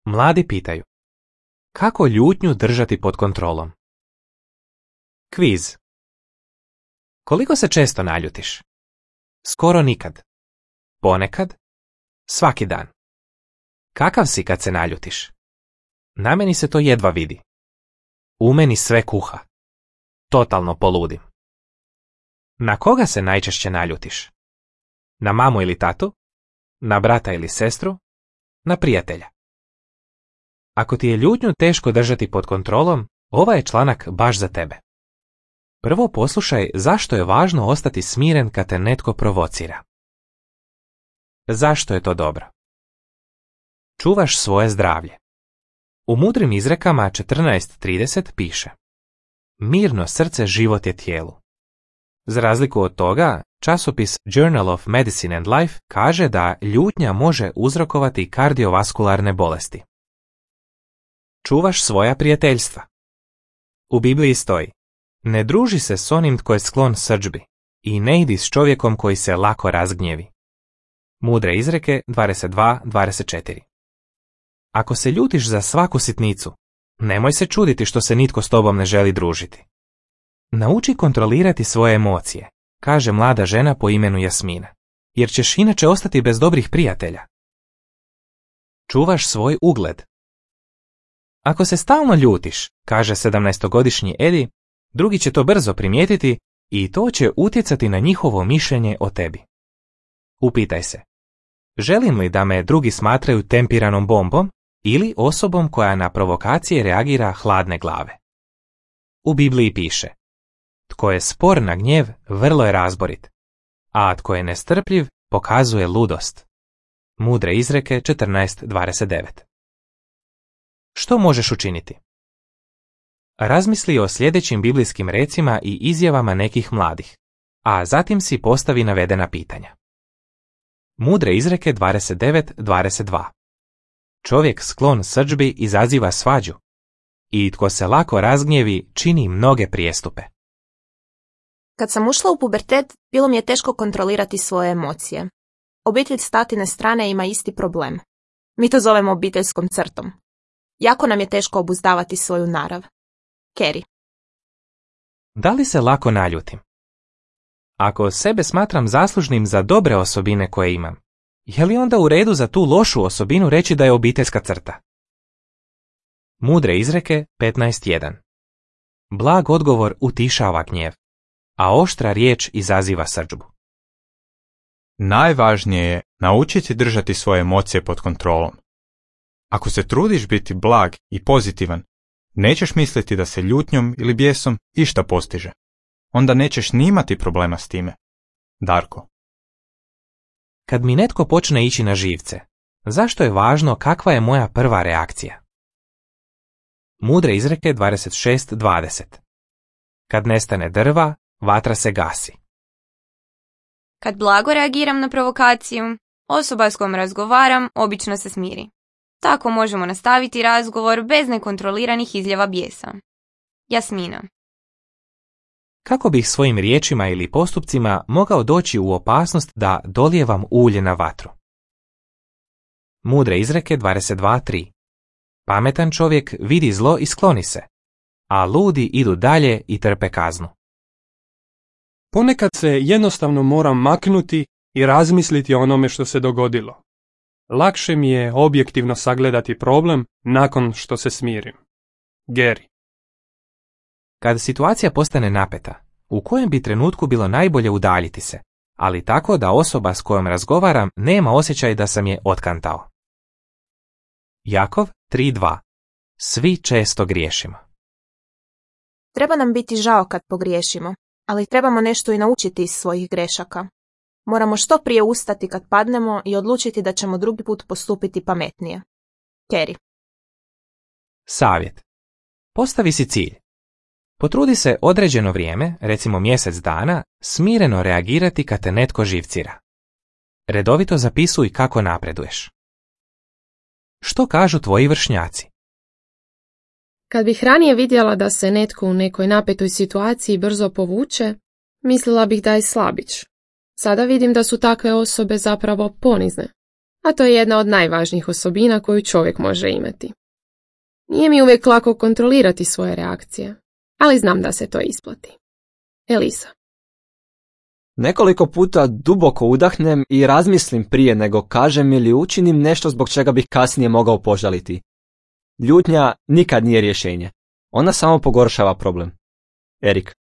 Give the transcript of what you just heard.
Mladi pitaju: kako ljutnju držati pod kontrolom? Kviz. Koliko se često naljutiš? Skoro nikad. Ponekad? Svaki dan. Kakav si kad se naljutiš? Na meni se to jedva vidi. U meni sve kuha. Totalno poludim. Na koga se najčešće naljutiš? Na mamu ili tatu? Na brata ili sestru? Na prijatelja? Ako ti je ljutnju teško držati pod kontrolom, ovaj je članak baš za tebe. Prvo poslušaj zašto je važno ostati smiren kad te netko provocira. Zašto je to dobro? Čuvaš svoje zdravlje. U mudrim izrekama 14.30 piše: mirno srce život je tijelu. Za razliku od toga, časopis Journal of Medicine and Life kaže da ljutnja može uzrokovati kardiovaskularne bolesti. Čuvaš svoja prijateljstva. U Bibliji stoji: ne druži se s onim tko je sklon srdžbi i ne idi s čovjekom koji se lako razgnjevi. Mudre izreke 22.24. Ako se ljutiš za svaku sitnicu, nemoj se čuditi što se nitko s tobom ne želi družiti. Nauči kontrolirati svoje emocije, kaže mlada žena po imenu Jasmina, jer ćeš inače ostati bez dobrih prijatelja. Čuvaš svoj ugled. Ako se stalno ljutiš, kaže 17-godišnji Edi, drugi će to brzo primijetiti i to će utjecati na njihovo mišljenje o tebi. Upitaj se: želim li da me drugi smatraju tempiranom bombom ili osobom koja na provokacije reagira hladne glave? U Bibliji piše: tko je spor na gnjev, vrlo je razborit, a tko je nestrpljiv, pokazuje ludost. Mudre izreke 14.29. Što možeš učiniti? Razmisli o sljedećim biblijskim recima i izjavama nekih mladih, a zatim si postavi navedena pitanja. Mudre izreke 29.22. Čovjek sklon srdžbi izaziva svađu i tko se lako razgnjevi čini mnoge prijestupe. Kad sam ušla u pubertet, bilo mi je teško kontrolirati svoje emocije. Obitelj s tatine strane ima isti problem. Mi to zovemo obiteljskom crtom. Jako nam je teško obuzdavati svoju narav. Kerry. Da li se lako naljutim? Ako sebe smatram zaslužnim za dobre osobine koje imam, je li onda u redu za tu lošu osobinu reći da je obiteljska crta? Mudre izreke 15.1. Blag odgovor utišava gnjev, a oštra riječ izaziva srdžbu. Najvažnije je naučiti držati svoje emocije pod kontrolom. Ako se trudiš biti blag i pozitivan, nećeš misliti da se ljutnjom ili bijesom išta postiže. Onda nećeš ni imati problema s time. Darko. Kad mi netko počne ići na živce, zašto je važno kakva je moja prva reakcija? Mudre izreke 26.20. Kad nestane drva, vatra se gasi. Kad blago reagiram na provokaciju, osoba s kojom razgovaram obično se smiri. Tako možemo nastaviti razgovor bez nekontroliranih izljeva bijesa. Jasmina. Kako bih svojim riječima ili postupcima mogao doći u opasnost da dolijevam ulje na vatru? Mudre izreke 22.3. Pametan čovjek vidi zlo i skloni se, a ludi idu dalje i trpe kaznu. Ponekad se jednostavno moram maknuti i razmisliti o onome što se dogodilo. Lakše mi je objektivno sagledati problem nakon što se smirim. Gary. Kad situacija postane napeta, u kojem bi trenutku bilo najbolje udaljiti se, ali tako da osoba s kojom razgovaram nema osjećaj da sam je otkantao? Jakov 3.2. Svi često griješimo. Treba nam biti žao kad pogriješimo, ali trebamo nešto i naučiti iz svojih grešaka. Moramo što prije ustati kad padnemo i odlučiti da ćemo drugi put postupiti pametnije. Kerry. Savjet. Postavi si cilj. Potrudi se određeno vrijeme, recimo mjesec dana, smireno reagirati kad te netko živcira. Redovito zapisuj kako napreduješ. Što kažu tvoji vršnjaci? Kad bih ranije vidjela da se netko u nekoj napetoj situaciji brzo povuče, mislila bih da je slabić. Sada vidim da su takve osobe zapravo ponizne. a to je jedna od najvažnijih osobina koju čovjek može imati. Nije mi uvijek lako kontrolirati svoje reakcije, ali znam da se to isplati. Elisa. Nekoliko puta duboko udahnem i razmislim prije nego kažem ili učinim nešto zbog čega bih kasnije mogao požaliti. Ljutnja nikad nije rješenje. Ona samo pogoršava problem. Erik.